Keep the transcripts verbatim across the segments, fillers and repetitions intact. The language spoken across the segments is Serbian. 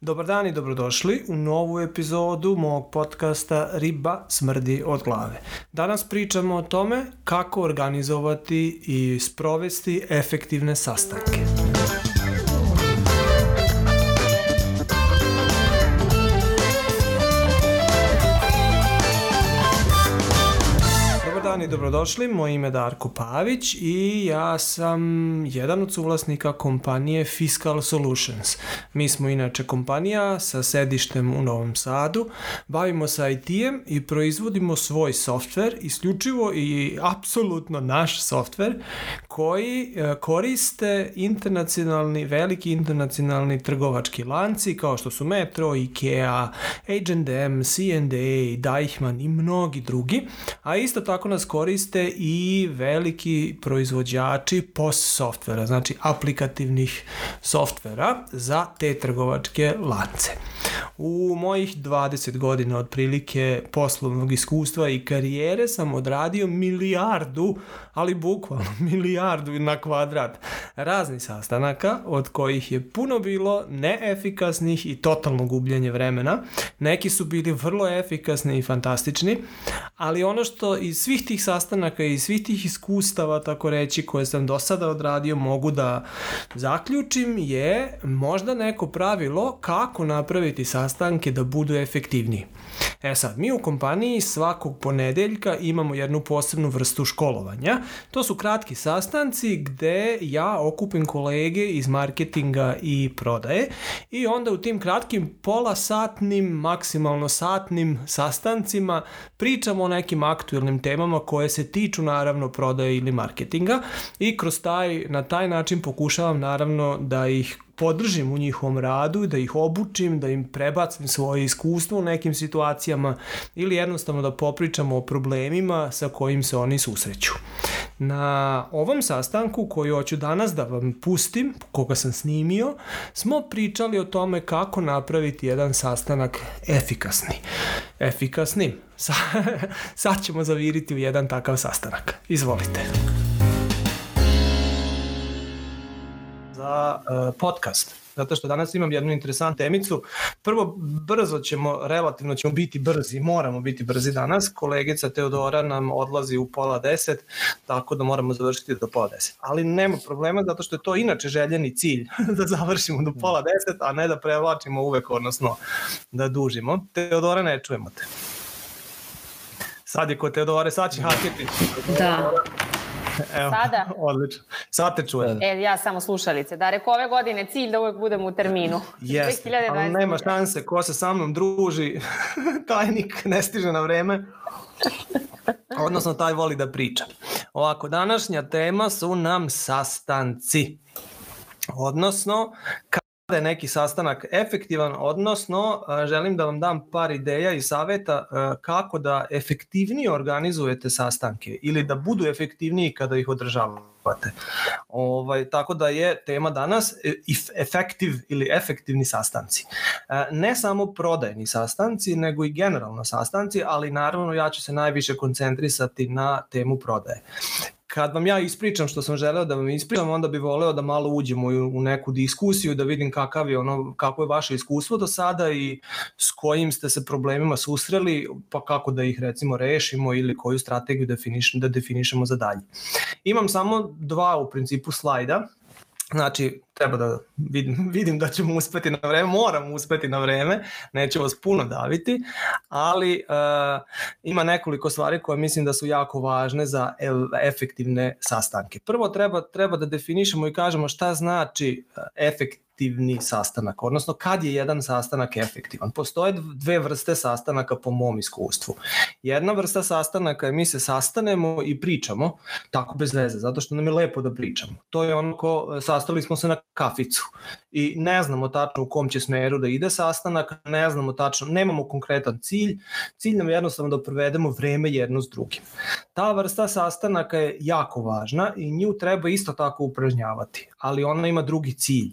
Dobar dan i dobrodošli u novu epizodu mog podcasta Riba smrdi od glave. Danas pričamo o tome kako organizovati i sprovesti efektivne sastanke. I dobrodošli, moje ime je Darko Pavić i ja sam jedan od suvlasnika kompanije Fiscal Solutions. Mi smo inače kompanija sa sedištem u Novom Sadu, bavimo se I T-em i proizvodimo svoj softver, isključivo i apsolutno naš softver koji koriste internacionalni, veliki internacionalni trgovački lanci kao što su Metro, IKEA, H and M, C and A, Deichmann i mnogi drugi, a isto tako nas koriste i veliki proizvođači P O S softvera, znači aplikativnih softvera za te trgovačke lance. U mojih dvadeset godina otprilike poslovnog iskustva i karijere sam odradio milijardu, ali bukvalno milijardu na kvadrat raznih sastanaka, od kojih je puno bilo neefikasnih i totalno gubljenje vremena. Neki su bili vrlo efikasni i fantastični, ali ono što iz svih tih sastanaka i svih tih iskustava, tako reći, koje sam do sada odradio, mogu da zaključim je možda neko pravilo kako napraviti sastanke da budu efektivniji. E sad, mi u kompaniji svakog ponedeljka imamo jednu posebnu vrstu školovanja. To su kratki sastanci gde ja okupim kolege iz marketinga i prodaje i onda u tim kratkim pola satnim, maksimalno satnim sastancima pričamo o nekim aktuelnim temama koje se tiču naravno prodaje ili marketinga i kroz taj, na taj način pokušavam naravno da ih podržim u njihovom radu, da ih obučim, da im prebacim svoje iskustvo u nekim situacijama ili jednostavno da popričamo o problemima sa kojim se oni susreću. Na ovom sastanku koji hoću danas da vam pustim, koga sam snimio, smo pričali o tome kako napraviti jedan sastanak efikasni. Efikasnim. Sad ćemo zaviriti u jedan takav sastanak. Izvolite. Za uh, podcast, zato što danas imam jednu interesantnu temicu. Prvo, brzo ćemo, relativno ćemo biti brzi, moramo biti brzi danas. Kolegica Teodora nam odlazi u pola deset, tako da moramo završiti do pola deset. Ali nema problema, zato što je to inače željeni cilj, da završimo do pola deset, a ne da prevlačimo uvek, odnosno da dužimo. Teodora, ne čujemo te. Sad je kod Teodore, sad će haketi. Da. Evo, sada? Odlično. Sad te čujem. E, ja samo slušalice. Da, reko ove godine cilj da uvek budem u terminu. Jeste, ali nema šanse. Ko se sa mnom druži, tajnik ne stiže na vreme. Odnosno, taj voli da priča. Ovako, današnja tema su nam sastanci. Odnosno, kada je neki sastanak efektivan, odnosno želim da vam dam par ideja i saveta kako da efektivnije organizujete sastanke ili da budu efektivniji kada ih održavate. Ovaj, tako da je tema danas efektiv ili efektivni sastanci. Ne samo prodajni sastanci, nego i generalno sastanci, ali naravno ja ću se najviše koncentrisati na temu prodaje. Kad vam ja ispričam što sam želeo da vam ispričam, onda bih voleo da malo uđemo u neku diskusiju, da vidim kakav je ono, kako je vaše iskustvo do sada i s kojim ste se problemima susreli, pa kako da ih recimo rešimo ili koju strategiju definiš, da definišemo za dalje. Imam samo dva u principu slajda. Znači, treba da vidim, vidim da ćemo uspeti na vreme, moramo uspeti na vreme, neću vas puno daviti, ali uh, ima nekoliko stvari koje mislim da su jako važne za efektivne sastanke. Prvo treba, treba da definišemo i kažemo šta znači efektivni sastanak, odnosno kad je jedan sastanak efektivan. Postoje dve vrste sastanaka po mom iskustvu. Jedna vrsta sastanaka je mi se sastanemo i pričamo, tako bez veze, zato što nam je lepo da pričamo. To je ono ko sastali smo se na kaficu i ne znamo tačno u kom će smeru da ide sastanak, ne znamo tačno, nemamo konkretan cilj, cilj nam je jednostavno da provedemo vreme jedno s drugim. Ta vrsta sastanaka je jako važna i nju treba isto tako upražnjavati, ali ona ima drugi cilj.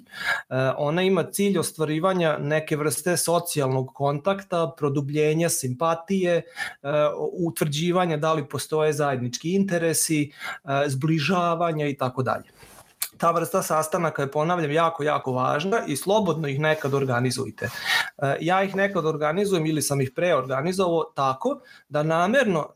Ona ima cilj ostvarivanja neke vrste socijalnog kontakta, produbljenja simpatije, utvrđivanja da li postoje zajednički interesi, zbližavanja i tako dalje. ta vrsta sastanaka je, ponavljam, jako, jako važna i slobodno ih nekad organizujte. Ja ih nekad organizujem ili sam ih preorganizovao tako da namerno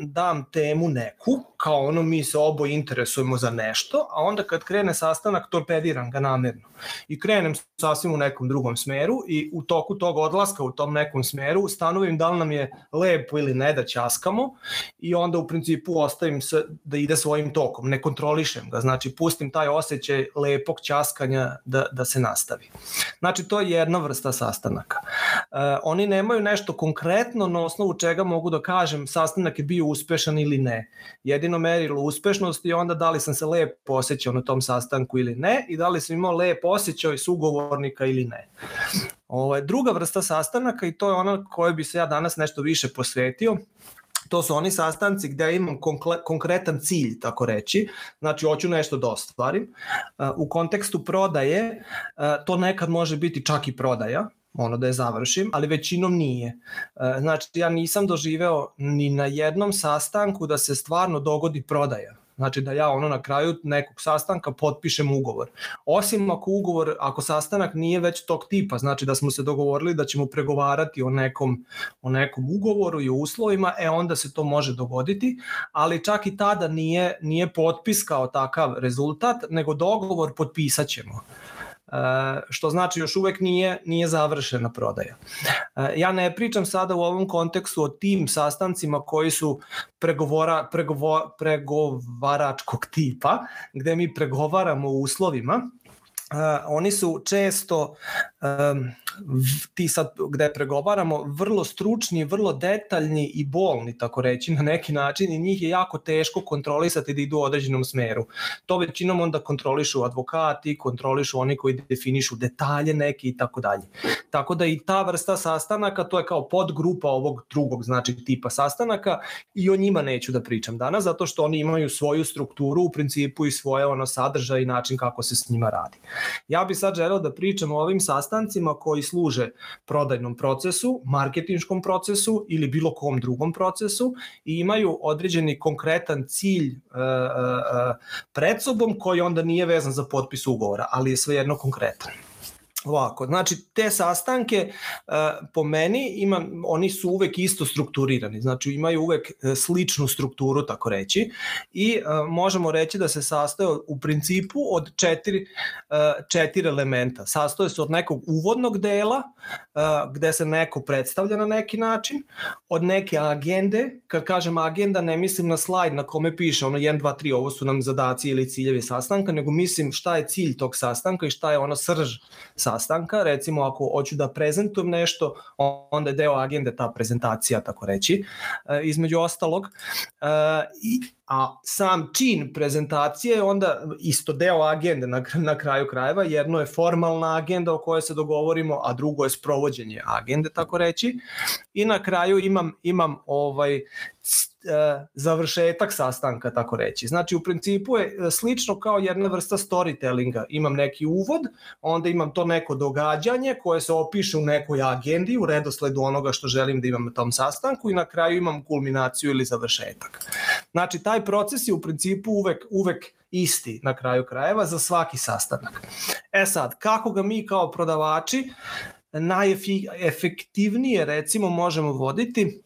dam temu neku, kao ono mi se oboje interesujemo za nešto, a onda kad krene sastanak torpediram ga namerno i krenem sasvim u nekom drugom smeru i u toku tog odlaska u tom nekom smeru stanovim da li nam je lepo ili ne da ćaskamo i onda u principu ostavim se da ide svojim tokom, ne kontrolišem ga, znači pustim taj osjećaj lepog ćaskanja da, da se nastavi. Znači to je jedna vrsta sastanaka. E, oni nemaju nešto konkretno na osnovu čega mogu da kažem sastanak je bio uspešan ili ne. Jedino merilo uspešnosti je onda da li sam se lepo osjećao na tom sastanku ili ne i da li sam imao lep osjećaj sugovornika ili ne. Ovo je druga vrsta sastanaka i to je ona kojoj bi se ja danas nešto više posvetio. To su oni sastanci gde imam konkretan cilj, tako reći, znači hoću nešto da ostvarim. U kontekstu prodaje to nekad može biti čak i prodaja, ono da je završim, ali većinom nije. Znači ja nisam doživeo ni na jednom sastanku da se stvarno dogodi prodaja. Znači da ja ono na kraju nekog sastanka potpišem ugovor. Osim ako ugovor, ako sastanak nije već tog tipa, znači da smo se dogovorili da ćemo pregovarati o nekom, o nekom ugovoru i o uslovima, e onda se to može dogoditi, ali čak i tada nije, nije potpis kao takav rezultat, nego dogovor potpisat ćemo. Uh, što znači još uvek nije, nije završena prodaja. Uh, ja ne pričam sada u ovom kontekstu o tim sastancima koji su pregovora, pregovo, pregovaračkog tipa, gde mi pregovaramo o uslovima. Uh, oni su često um, ti sad gde pregovaramo vrlo stručni, vrlo detaljni i bolni, tako reći, na neki način i njih je jako teško kontrolisati da idu u određenom smeru. To većinom onda kontrolišu advokati, kontrolišu oni koji definišu detalje neki i tako dalje. Tako da i ta vrsta sastanaka, to je kao podgrupa ovog drugog, znači tipa sastanaka i o njima neću da pričam danas, zato što oni imaju svoju strukturu u principu i svoje ono sadržaj i način kako se s njima radi. Ja bih sad želeo da pričam o ovim sastancima koji služe prodajnom procesu, marketinškom procesu ili bilo kom drugom procesu i imaju određeni konkretan cilj e, e, pred sobom koji onda nije vezan za potpis ugovora, ali je svejedno konkretan. Ovako, znači te sastanke uh, po meni ima, oni su uvek isto strukturirani, znači imaju uvek sličnu strukturu, tako reći, i uh, možemo reći da se sastoje u principu od četiri, uh, četiri elementa. Sastoje se od nekog uvodnog dela uh, gde se neko predstavlja na neki način, od neke agende, kad kažem agenda ne mislim na slajd na kome piše ono jedan, dva, tri, ovo su nam zadaci ili ciljevi sastanka, nego mislim šta je cilj tog sastanka i šta je ono srž sastanka. Recimo ako hoću da prezentujem nešto, onda je deo agende ta prezentacija, tako reći, e, između ostalog. E, i, a sam čin prezentacije je onda isto deo agende na, na kraju krajeva. Jedno je formalna agenda o kojoj se dogovorimo, a drugo je sprovođenje agende, tako reći. I na kraju imam, imam ovaj završetak sastanka, tako reći. Znači u principu je slično kao jedna vrsta storytellinga. Imam neki uvod, onda imam to neko događanje koje se opiše u nekoj agendi, u redosledu onoga što želim da imam na tom sastanku i na kraju imam kulminaciju ili završetak. Znači taj proces je u principu uvek, uvek isti na kraju krajeva za svaki sastanak. E sad, kako ga mi kao prodavači najefektivnije recimo možemo voditi?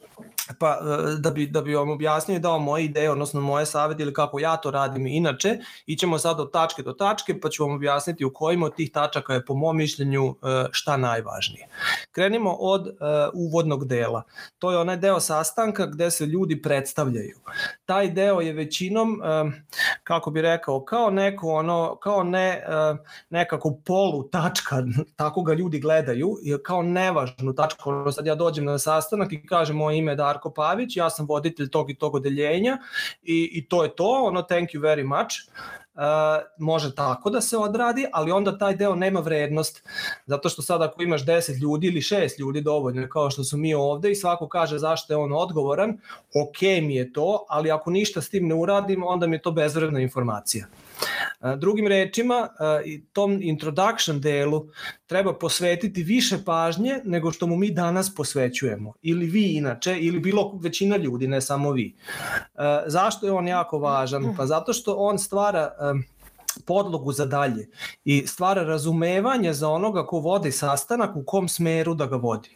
Pa da bi, da bi vam objasnio i dao moje ideje, odnosno moje savjete ili kako ja to radim inače, ićemo sad od tačke do tačke pa ću vam objasniti u kojim od tih tačaka je po mom mišljenju šta najvažnije. Krenimo od uh, uvodnog dela. To je onaj deo sastanka gde se ljudi predstavljaju. Taj deo je većinom, uh, kako bi rekao, kao neko ono, kao ne, uh, nekako polu tačka, tako ga ljudi gledaju, kao nevažnu tačku. Ono sad ja dođem na sastanak i kažem moje ime je Darko Pavić, ja sam voditelj tog i tog odeljenja i, i to je to, ono thank you very much. Uh, može tako da se odradi, ali onda taj deo nema vrednost, zato što sad ako imaš deset ljudi ili šest ljudi dovoljno, kao što su mi ovde i svako kaže zašto je on odgovoran, ok mi je to, ali ako ništa s tim ne uradim, onda mi je to bezvredna informacija. Uh, drugim rečima, uh, tom introduction delu treba posvetiti više pažnje nego što mu mi danas posvećujemo, ili vi inače, ili bilo većina ljudi, ne samo vi. Uh, zašto je on jako važan? Pa zato što on stvara um, podlogu za dalje i stvara razumevanje za onoga ko vodi sastanak u kom smeru da ga vodi.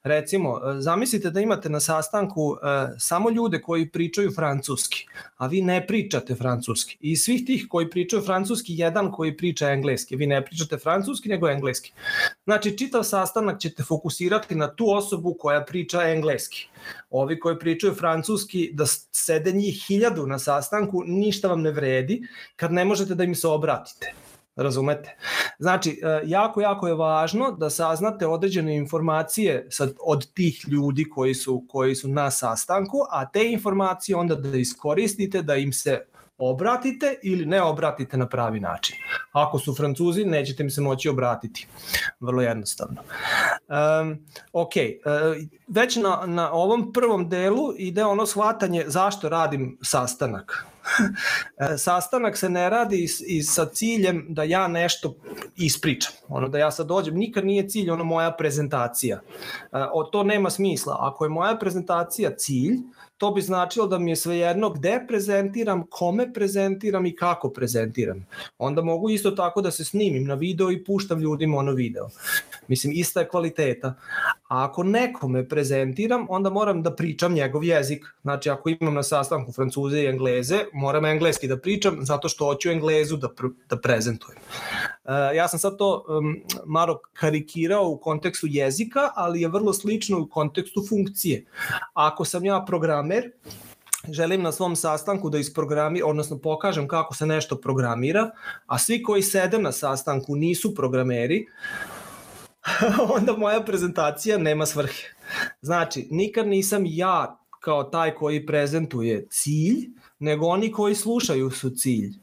Recimo, zamislite da imate na sastanku e, samo ljude koji pričaju francuski, a vi ne pričate francuski. I svih tih koji pričaju francuski, jedan koji priča engleski. Vi ne pričate francuski, nego engleski. Znači, čitav sastanak ćete fokusirati na tu osobu koja priča engleski. Ovi koji pričaju francuski, da sede njih hiljadu na sastanku, ništa vam ne vredi kad ne možete da im se obratite. Razumete? Znači, jako, jako je važno da saznate određene informacije od tih ljudi koji su, koji su na sastanku, a te informacije onda da iskoristite, da im se obratite ili ne obratite na pravi način. Ako su Francuzi, nećete im se moći obratiti. Vrlo jednostavno. Um, ok, uh, već na, na ovom prvom delu ide ono shvatanje zašto radim sastanak. Sastanak se ne radi i sa ciljem da ja nešto ispričam. Ono da ja sad dođem, nikad nije cilj ono moja prezentacija. O, to nema smisla. Ako je moja prezentacija cilj, to bi značilo da mi je svejedno gde prezentiram, kome prezentiram i kako prezentiram. Onda mogu isto tako da se snimim na video i puštam ljudima ono video. Mislim, ista je kvaliteta. A ako nekome prezentiram, onda moram da pričam njegov jezik. Znači, ako imam na sastanku Francuze i Engleze, moram engleski da pričam zato što hoću Englezu da, pr- da prezentujem. Uh, ja sam sad to um, malo karikirao u kontekstu jezika, ali je vrlo slično u kontekstu funkcije. Ako sam ja programer, želim na svom sastanku da isprogramiram, odnosno pokažem kako se nešto programira, a svi koji sede na sastanku nisu programeri, onda moja prezentacija nema svrhe. Znači, nikad nisam ja kao taj koji prezentuje cilj, nego oni koji slušaju su cilj.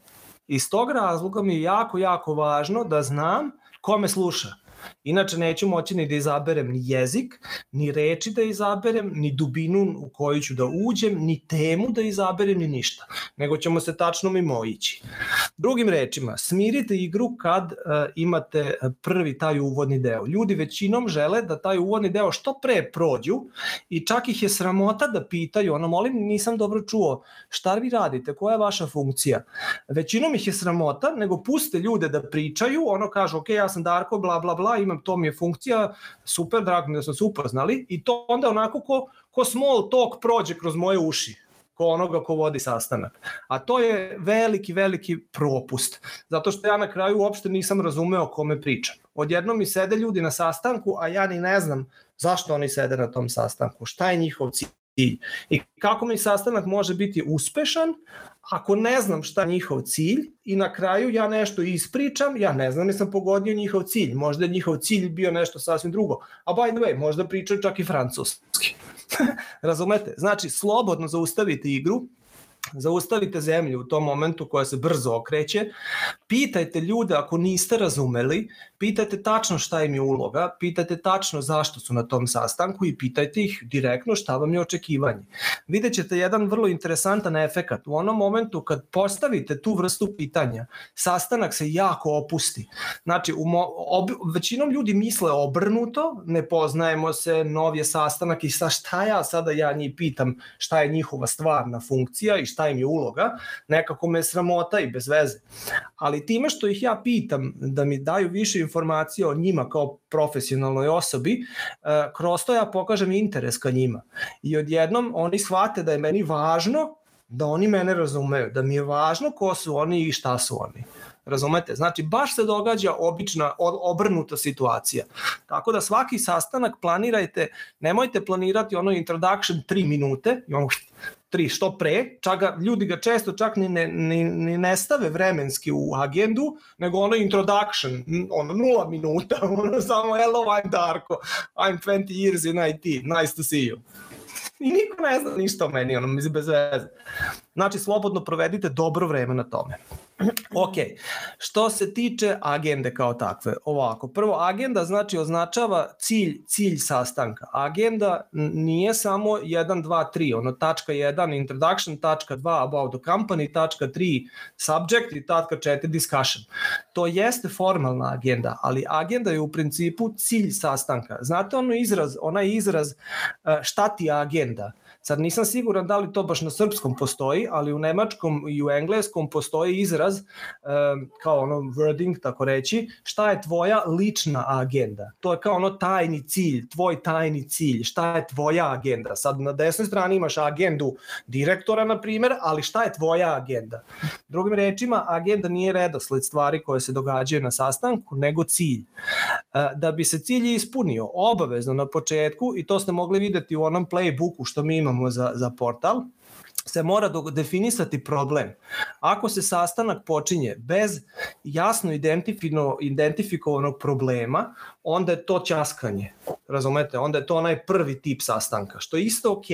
Iz tog razloga mi je jako, jako važno da znam ko me sluša. Inače neću moći ni da izaberem ni jezik, ni reči da izaberem, ni dubinu u koju ću da uđem, ni temu da izaberem, ni ništa. Nego ćemo se tačno mimo ići. Drugim rečima, smirite igru kad uh, imate prvi taj uvodni deo. Ljudi većinom žele da taj uvodni deo što pre prođu i čak ih je sramota da pitaju, ono molim, nisam dobro čuo, šta vi radite, koja je vaša funkcija? Većinom ih je sramota, nego puste ljude da pričaju, ono kažu, ok, ja sam Darko, bla, bla, bla, imam, to mi je funkcija, super, drago mi da smo se upoznali i to onda onako ko, ko small talk prođe kroz moje uši, ko onoga ko vodi sastanak. A to je veliki, veliki propust, zato što ja na kraju uopšte nisam razumeo kome pričam. Odjednom mi sede ljudi na sastanku, a ja ni ne znam zašto oni sede na tom sastanku, šta je njihov cilj i kako mi sastanak može biti uspešan ako ne znam šta je njihov cilj i na kraju ja nešto ispričam, ja ne znam, nisam pogodio njihov cilj, možda je njihov cilj bio nešto sasvim drugo, a by the way, možda pričaju čak i francuski. Razumete? Znači, slobodno zaustavite igru, zaustavite zemlju u tom momentu koja se brzo okreće, pitajte ljude ako niste razumeli, pitajte tačno šta im je uloga, pitajte tačno zašto su na tom sastanku i pitajte ih direktno šta vam je očekivanje. Vidjet ćete jedan vrlo interesantan efekat. U onom momentu kad postavite tu vrstu pitanja, sastanak se jako opusti. Znači, u mo- ob- većinom ljudi misle obrnuto, ne poznajemo se, nov je sastanak i sa šta ja sada ja njih pitam šta je njihova stvarna funkcija i šta im je uloga, nekako me sramota i bez veze. Ali time što ih ja pitam da mi daju više informacija o njima kao profesionalnoj osobi, kroz to ja pokažem interes ka njima. I odjednom oni shvate da je meni važno da oni mene razumeju, da mi je važno ko su oni i šta su oni. Razumete? Znači, baš se događa obična, obrnuta situacija. Tako da svaki sastanak planirajte, nemojte planirati ono introduction tri minute, imamo tri što pre, čak ga, ljudi ga često čak ni ne, ni, ni ne stave vremenski u agendu, nego ono introduction, ono nula minuta, ono samo hello, I'm Darko, I'm twenty years in I T, nice to see you. I niko ne zna ništa o meni, ono mi bez veze. Znači, slobodno provedite dobro vreme na tome. Ok, što se tiče agende kao takve, ovako, prvo agenda znači označava cilj, cilj sastanka. Agenda nije samo jedan, dva, tri, ono tačka jedan introduction, tačka dva about the company, tačka tri subject i tačka četiri discussion. To jeste formalna agenda, ali agenda je u principu cilj sastanka. Znate ono izraz, onaj izraz šta ti je agenda? Sad nisam siguran da li to baš na srpskom postoji, ali u nemačkom i u engleskom postoji izraz izraz, kao ono wording, tako reći, šta je tvoja lična agenda. To je kao ono tajni cilj, tvoj tajni cilj, šta je tvoja agenda. Sad na desnoj strani imaš agendu direktora, na primjer, ali šta je tvoja agenda? Drugim rečima, agenda nije redosled stvari koje se događaju na sastanku, nego cilj. Da bi se cilj ispunio, obavezno na početku, i to ste mogli vidjeti u onom playbooku što mi imamo za, za portal, se mora definisati problem. Ako se sastanak počinje bez jasno identifikovanog problema, onda je to ćaskanje. Razumete? Onda je to onaj prvi tip sastanka, što je isto ok,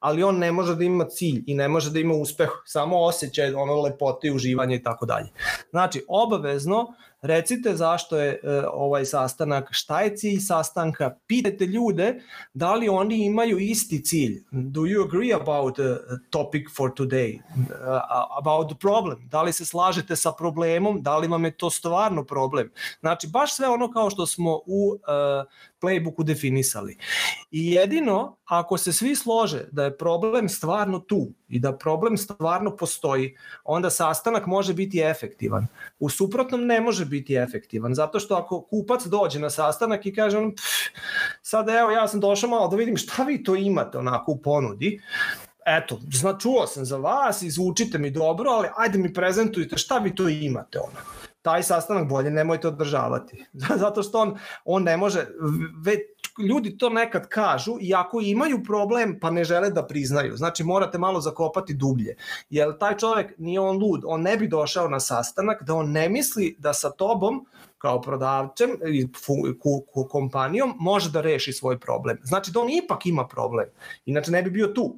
ali on ne može da ima cilj i ne može da ima uspeh, samo osjećaj ono lepote i uživanje i tako dalje. Znači, obavezno recite zašto je e, ovaj sastanak, šta je cilj sastanka, pitajte ljude da li oni imaju isti cilj. Do you agree about the topic for today? Uh, about the problem? Da li se slažete sa problemom? Da li vam je to stvarno problem? Znači, baš sve ono kao što smo u uh, playbooku definisali. I jedino, ako se svi slože da je problem stvarno tu i da problem stvarno postoji, onda sastanak može biti efektivan. U suprotnom ne može biti efektivan, zato što ako kupac dođe na sastanak i kaže on, sad evo ja sam došao malo da vidim šta vi to imate onako u ponudi, eto, zna, čuo sam za vas, izvučite mi dobro, ali ajde mi prezentujte šta vi to imate ono. Taj sastanak bolje nemojte održavati. Zato što on, on ne može, već ljudi to nekad kažu i ako imaju problem pa ne žele da priznaju. Znači morate malo zakopati dublje. Jer taj čovjek nije on lud, on ne bi došao na sastanak da on ne misli da sa tobom kao prodavcem i kompanijom može da reši svoj problem. Znači da on ipak ima problem. Inače ne bi bio tu.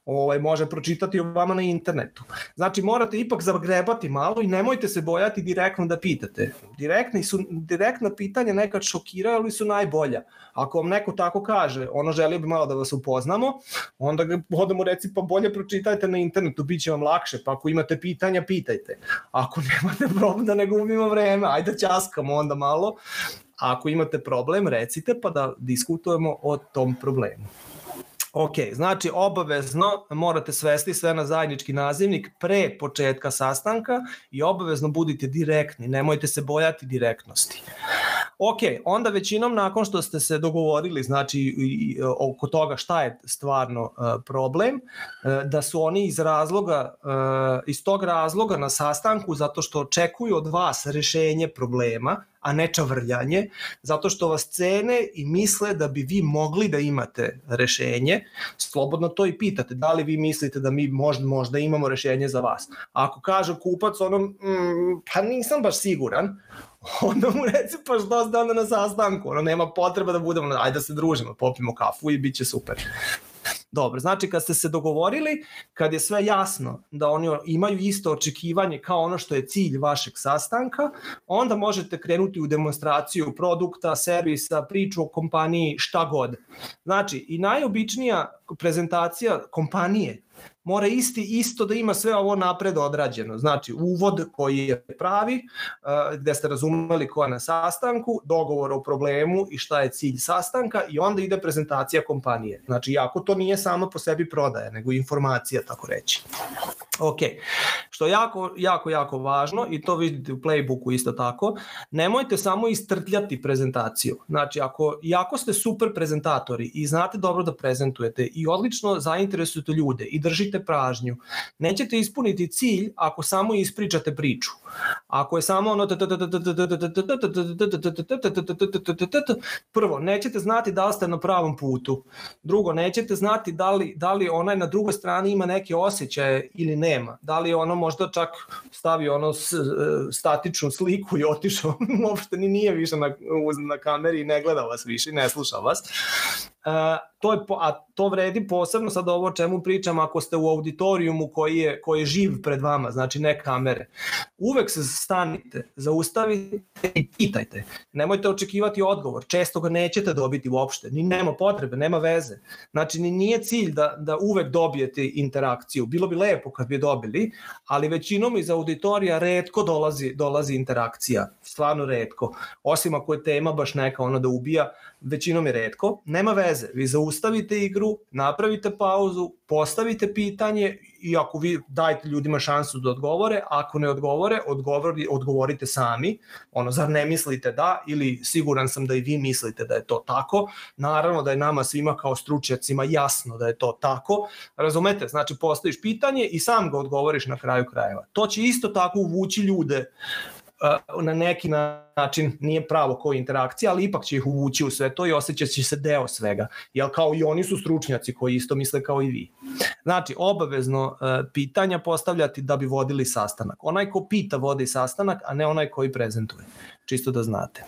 Ovaj, može pročitati o vama na internetu. Znači morate ipak zagrebati malo i nemojte se bojati direktno da pitate. Direktni su, direktna pitanja nekad šokiraju, ali su najbolja. Ako vam neko tako kaže, ono želio bi malo da vas upoznamo, onda ga odemo reci pa bolje pročitajte na internetu, bit će vam lakše, pa ako imate pitanja, pitajte. Ako nemate problem da ne gubimo vreme, ajde ćaskamo onda malo. Ako imate problem, recite pa da diskutujemo o tom problemu. Ok, znači obavezno morate svesti sve na zajednički nazivnik pre početka sastanka i obavezno budite direktni, nemojte se bojati direktnosti. Ok, onda većinom nakon što ste se dogovorili, znači i, i, oko toga šta je stvarno uh, problem, uh, da su oni iz razloga, uh, iz tog razloga na sastanku zato što očekuju od vas rešenje problema, a ne čavrljanje, zato što vas cene i misle da bi vi mogli da imate rešenje, slobodno to i pitate, da li vi mislite da mi možda, možda imamo rešenje za vas. A ako kaže kupac ono, mm, pa nisam baš siguran, onda mu reci pa što ste onda na sastanku, ono nema potreba da budemo, ajde da se družimo, popijemo kafu i bit će super. Dobro, znači kad ste se dogovorili, kad je sve jasno da oni imaju isto očekivanje kao ono što je cilj vašeg sastanka, onda možete krenuti u demonstraciju produkta, servisa, priču o kompaniji, šta god. Znači i najobičnija prezentacija kompanije mora isti isto da ima sve ovo napred odrađeno. Znači uvod koji je pravi, gde ste razumeli ko je na sastanku, dogovor o problemu i šta je cilj sastanka i onda ide prezentacija kompanije. Znači jako to nije samo po sebi prodaja, nego informacija, tako reći. Ok, što je jako, jako, jako važno i to vidite u playbooku isto tako, nemojte samo istrtljati prezentaciju. Znači, ako, iako ste super prezentatori i znate dobro da prezentujete i odlično zainteresujete ljude i držite pražnju, nećete ispuniti cilj ako samo ispričate priču. Ako je samo ono prvo, nećete znati da li ste na pravom putu. Drugo, nećete znati da li, da li onaj na drugoj strani ima neke osjećaje ili nema. Da li ono možda čak stavi ono statičnu sliku i otišao, uopšte ni nije više na, na kameri i ne gleda vas više, ne sluša vas. Uh, to je, a to vredi posebno sad ovo o čemu pričam ako ste u auditorijumu koji je, koji je živ pred vama, znači ne kamere. Uvek se stanite, zaustavite i pitajte. Nemojte očekivati odgovor, često ga nećete dobiti uopšte, ni nema potrebe, nema veze. Znači ni nije cilj da, da uvek dobijete interakciju, bilo bi lepo kad bi dobili, ali većinom iz auditorija retko dolazi, dolazi interakcija, stvarno retko. Osim ako je tema baš neka ono da ubija, većinom je retko, nema veze, vi zaustavite igru, napravite pauzu, postavite pitanje i ako vi dajte ljudima šansu da odgovore, ako ne odgovore, odgovori, odgovorite sami, ono, zar ne mislite da, ili siguran sam da i vi mislite da je to tako, naravno da je nama svima kao stručnjacima jasno da je to tako, razumete, znači postaviš pitanje i sam ga odgovoriš na kraju krajeva. To će isto tako uvući ljude na neki način, nije pravo kao interakcija, ali ipak će ih uvući u sve to i osjećat će se deo svega, jer kao i oni su stručnjaci koji isto misle kao i vi. Znači, obavezno pitanja postavljati da bi vodili sastanak. Onaj ko pita vodi sastanak, a ne onaj koji prezentuje. Čisto da znate.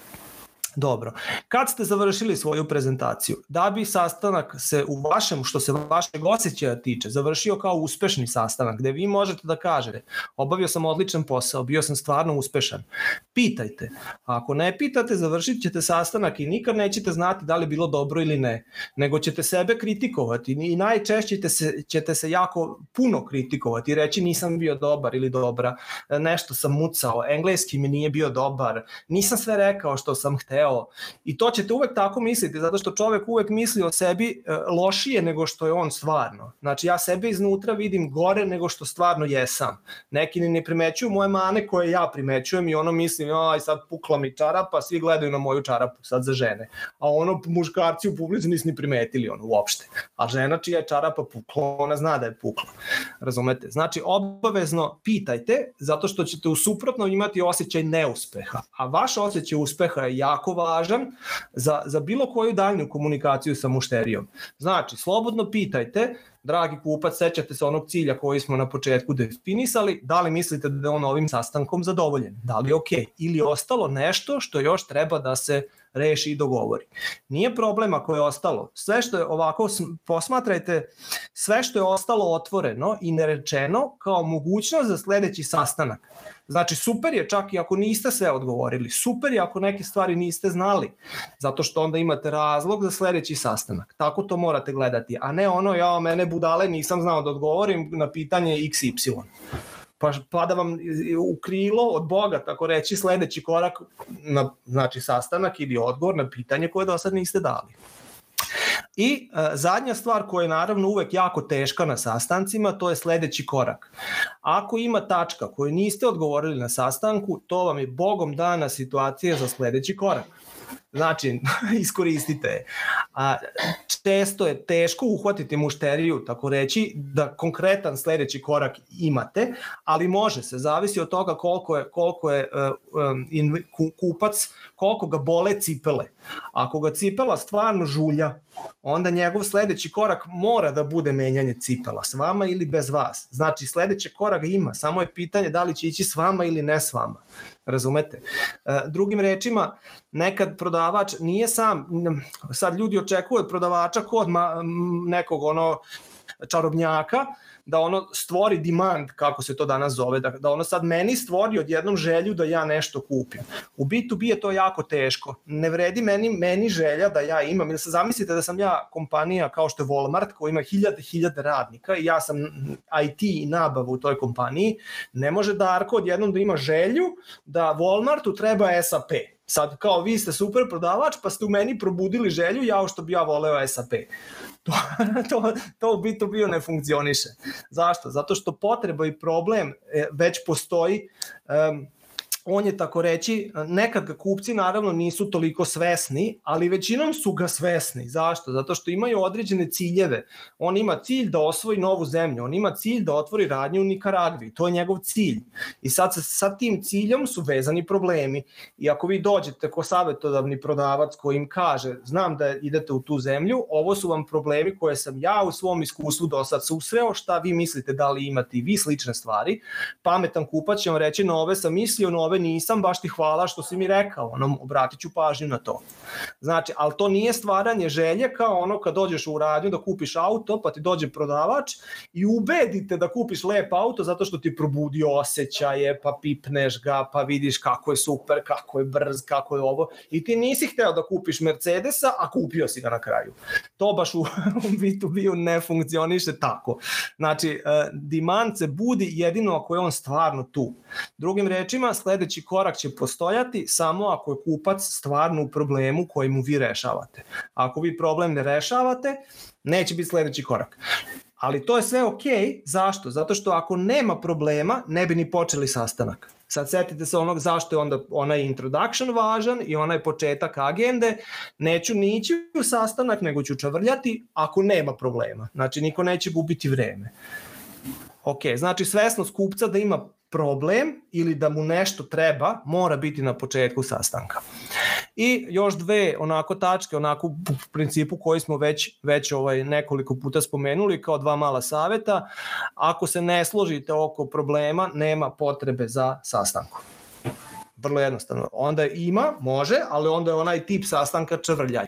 Dobro, kad ste završili svoju prezentaciju, da bi sastanak se u vašem, što se vašeg osjećaja tiče, završio kao uspešni sastanak, gde vi možete da kažete, obavio sam odličan posao, bio sam stvarno uspešan, pitajte. A ako ne pitate, završit ćete sastanak i nikad nećete znati da li je bilo dobro ili ne, nego ćete sebe kritikovati i najčešće ćete se, ćete se jako puno kritikovati i reći nisam bio dobar ili dobra, nešto sam mucao, engleski mi nije bio dobar, nisam sve rekao što sam hteo. I to ćete uvek tako misliti, zato što čovek uvek misli o sebi lošije nego što je on stvarno. Znači ja sebe iznutra vidim gore nego što stvarno jesam. Neki ni ne primećuju moje mane koje ja primećujem i ono mislim, aj sad pukla mi čarapa, svi gledaju na moju čarapu, sad za žene. A ono muškarci u publici nisu ni primetili ono uopšte. A žena čija je čarapa pukla, ona zna da je pukla. Razumete? Znači obavezno pitajte, zato što ćete u suprotno imati osjećaj neuspeha. A vaš osjećaj uspeha je jako važan za, za bilo koju daljnju komunikaciju sa mušterijom. Znači, slobodno pitajte, dragi kupac, sećate se onog cilja koji smo na početku definisali, da li mislite da je on ovim sastankom zadovoljen, da li je ok, ili ostalo nešto što još treba da se reši i dogovori. Nije problem ako je ostalo. Sve što je ovako, posmatrajte, sve što je ostalo otvoreno i nerečeno kao mogućnost za sledeći sastanak. Znači, super je čak i ako niste sve odgovorili, super je ako neke stvari niste znali, zato što onda imate razlog za sledeći sastanak. Tako to morate gledati, a ne ono, ja, mene budale, nisam znao da odgovorim na pitanje iks ipsilon. Pa, pa da vam u krilo od Boga, tako reći, sledeći korak, na, znači sastanak ili odgovor na pitanje koje do sad niste dali. I e, zadnja stvar koja je naravno uvek jako teška na sastancima, to je sledeći korak. Ako ima tačka koju niste odgovorili na sastanku, to vam je Bogom dana situacija za sledeći korak. Znači, iskoristite je. A često je teško uhvatiti mušteriju, tako reći, da konkretan sledeći korak imate, ali može se, zavisi od toga koliko je, koliko je uh, um, kupac, koliko ga bole cipele. Ako ga cipela stvarno žulja, onda njegov sledeći korak mora da bude menjanje cipela, s vama ili bez vas. Znači, sledeći korak ima, samo je pitanje da li će ići s vama ili ne s vama. Razumete? Drugim rečima, nekad prodavač nije sam, sad ljudi očekuju od prodavača kod nekog ono čarobnjaka, da ono stvori demand, kako se to danas zove, da, da ono sad meni stvori odjednom želju da ja nešto kupim. U be to be je to jako teško. Ne vredi meni, meni želja da ja imam, ili se zamislite da sam ja kompanija kao što je Walmart, koja ima hiljade, hiljade radnika i ja sam i te i nabavu u toj kompaniji, ne može Darko odjednom da ima želju da Walmartu treba es a pe. Sad, kao vi ste super prodavač, pa ste u meni probudili želju, ja što bi ja voleo es a pe. To, to, to u be to be ne funkcioniše. Zašto? Zato što potreba i problem već postoji. Um, on je tako reći, nekad ga kupci naravno nisu toliko svesni, ali većinom su ga svesni. Zašto? Zato što imaju određene ciljeve. On ima cilj da osvoji novu zemlju, on ima cilj da otvori radnju u Nikaragvi, to je njegov cilj. I sad sa tim ciljom su vezani problemi. I ako vi dođete ko savjetodavni prodavac koji im kaže, znam da idete u tu zemlju, ovo su vam problemi koje sam ja u svom iskustvu do sad susreo, šta vi mislite da li imate i vi slične stvari, pametan kupac će vam reći, no ove sam mislio, no ove nisam, baš ti hvala što si mi rekao, ono, obratit ću pažnju na to. Znači, ali to nije stvaranje želje kao ono kad dođeš u radnju da kupiš auto, pa ti dođe prodavač i ubedite da kupiš lep auto zato što ti probudi osjećaje, pa pipneš ga, pa vidiš kako je super, kako je brz, kako je ovo, i ti nisi hteo da kupiš Mercedesa, a kupio si ga na kraju. To baš u be to be ne funkcioniše tako. Znači, demand se budi jedino ako je on stvarno tu. Drugim rečima, sled sledeći korak će postojati samo ako je kupac stvarno u problemu koji mu vi rešavate. Ako vi problem ne rešavate, neće biti sledeći korak. Ali to je sve okej. Zašto? Zato što ako nema problema, ne bi ni počeli sastanak. Sad setite se onog zašto je onda onaj introduction važan i onaj početak agende. Neću ni ići u sastanak, nego ću čavrljati ako nema problema. Znači, niko neće gubiti vreme. Ok, znači svesnost kupca da ima problem ili da mu nešto treba mora biti na početku sastanka. I još dve onako tačke, onako u principu koji smo već, već ovaj nekoliko puta spomenuli kao dva mala saveta. Ako se ne složite oko problema, nema potrebe za sastankom. Vrlo jednostavno. Onda ima, može, ali onda je onaj tip sastanka čavrljaj.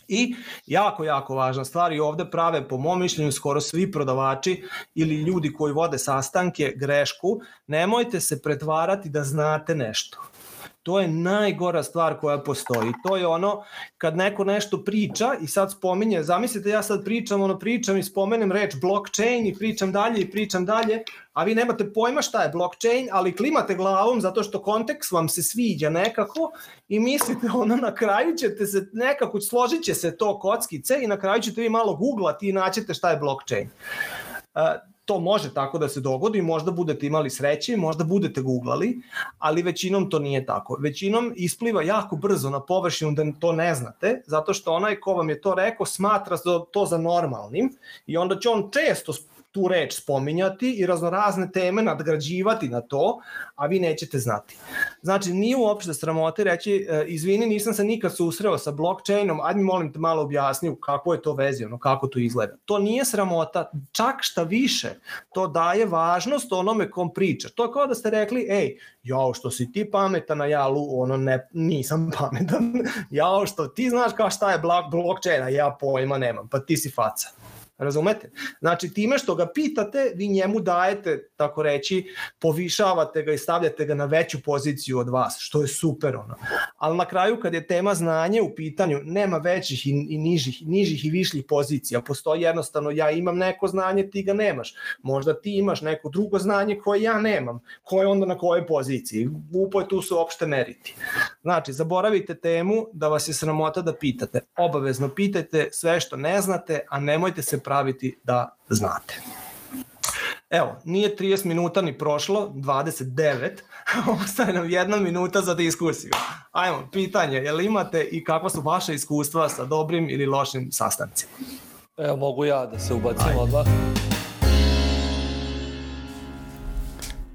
I jako, jako važna stvar i ovde prave po mom mišljenju skoro svi prodavači ili ljudi koji vode sastanke grešku, nemojte se pretvarati da znate nešto. To je najgora stvar koja postoji. To je ono kad neko nešto priča i sad spominje, zamislite ja sad pričam, ono pričam i spomenem reč blockchain i pričam dalje i pričam dalje, a vi nemate pojma šta je blockchain, ali klimate glavom zato što kontekst vam se sviđa nekako i mislite ono na kraju ćete se nekako, složit će se to kockice i na kraju ćete vi malo googlati i naćete šta je blockchain. Uh, To može tako da se dogodi, možda budete imali sreće, možda budete googlali, ali većinom to nije tako. Većinom ispliva jako brzo na površinu da to ne znate, zato što onaj ko vam je to rekao smatra to za normalnim i onda će on često tu reč spominjati i raznorazne teme nadgrađivati na to, a vi nećete znati. Znači, nije uopšte sramote reći, izvini, nisam se nikad susreo sa blockchainom, ajde mi molim te malo objasni kako je to vezano, kako to izgleda. To nije sramota, čak šta više, to daje važnost onome kom priča. To je kao da ste rekli, ej, jao što si ti pametan, a ja ono ne, nisam pametan, jao što ti znaš kao šta je blockchain, a ja pojma nemam, pa ti si faca. Razumete? Znači, time što ga pitate, vi njemu dajete, tako reći, povišavate ga i stavljate ga na veću poziciju od vas, što je super ono. Ali na kraju, kad je tema znanje u pitanju, nema većih i, i nižih, nižih i višljih pozicija. Postoji jednostavno, ja imam neko znanje, ti ga nemaš. Možda ti imaš neko drugo znanje koje ja nemam. Ko je onda na kojoj poziciji? Glupo je tu se uopšte meriti. Znači, zaboravite temu da vas je sramota da pitate. Obavezno pitajte sve što ne znate, a nemojte se praviti da znate. Evo, nije trideset minuta ni prošlo, dvadeset devet, ostaje nam jedna minuta za diskusiju. Ajmo, pitanje, je li imate i kakva su vaše iskustva sa dobrim ili lošim sastancima? Evo, mogu ja da se ubacim odmah.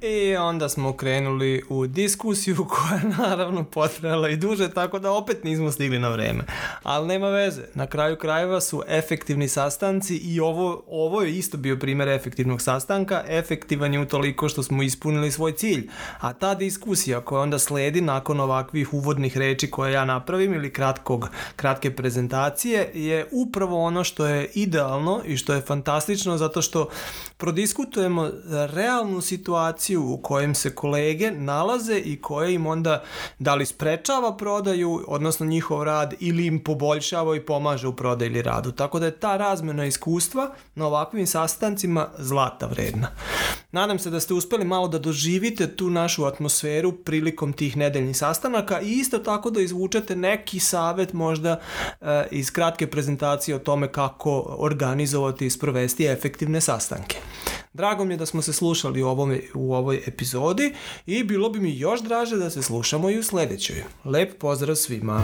I onda smo krenuli u diskusiju koja je naravno potrajala i duže, tako da opet nismo stigli na vreme. Ali nema veze, na kraju krajeva su efektivni sastanci i ovo, ovo je isto bio primjer efektivnog sastanka. Efektivan je utoliko što smo ispunili svoj cilj. A ta diskusija koja onda sledi nakon ovakvih uvodnih reči koje ja napravim ili kratkog, kratke prezentacije je upravo ono što je idealno i što je fantastično zato što prodiskutujemo realnu situaciju u kojem se kolege nalaze i koje im onda da li sprečava prodaju, odnosno njihov rad, ili im poboljšava i pomaže u prodaju ili radu. Tako da je ta razmjena iskustva na ovakvim sastancima zlata vredna. Nadam se da ste uspeli malo da doživite tu našu atmosferu prilikom tih nedeljnih sastanaka i isto tako da izvučete neki savet možda e, iz kratke prezentacije o tome kako organizovati i sprovesti efektivne sastanke. Drago mi je da smo se slušali u, ovom, u ovoj epizodi i bilo bi mi još draže da se slušamo i u sledećoj. Lep pozdrav svima!